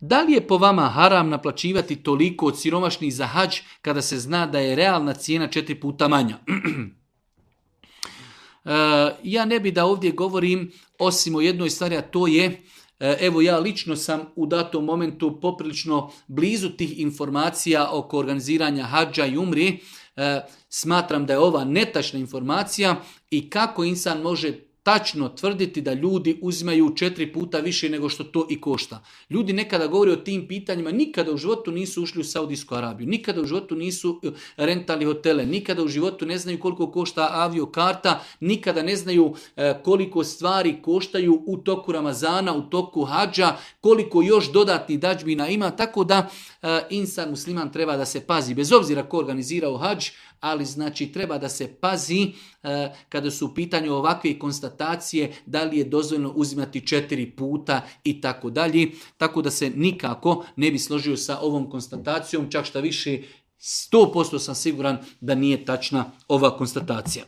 Da li je po vama haram naplaćivati toliko od siromašnih za hadž kada se zna da je realna cijena 4 puta manja? Ja ne bi da ovdje govorim osim o jednoj stvari, a to je, evo ja lično sam u datom momentu poprilično blizu tih informacija oko organiziranja hadža i umri. Smatram da je ova netačna informacija i kako insan može tačno tvrditi da ljudi uzimaju 4 puta više nego što to i košta. Ljudi nekada govore o tim pitanjima, nikada u životu nisu ušli u Saudijsku Arabiju, nikada u životu nisu rentali hotele, nikada u životu ne znaju koliko košta aviokarta, nikada ne znaju koliko stvari koštaju u toku Ramazana, u toku hadža, koliko još dodatnih dadžbina ima, tako da insan musliman treba da se pazi, bez obzira ko organizirao hadž, ali znači treba da se pazi kada su u pitanju ovakve konstatacije da li je dozvoljeno uzimati 4 puta i tako dalje. Tako da se nikako ne bi složio sa ovom konstatacijom, čak šta više 100% sam siguran da nije tačna ova konstatacija.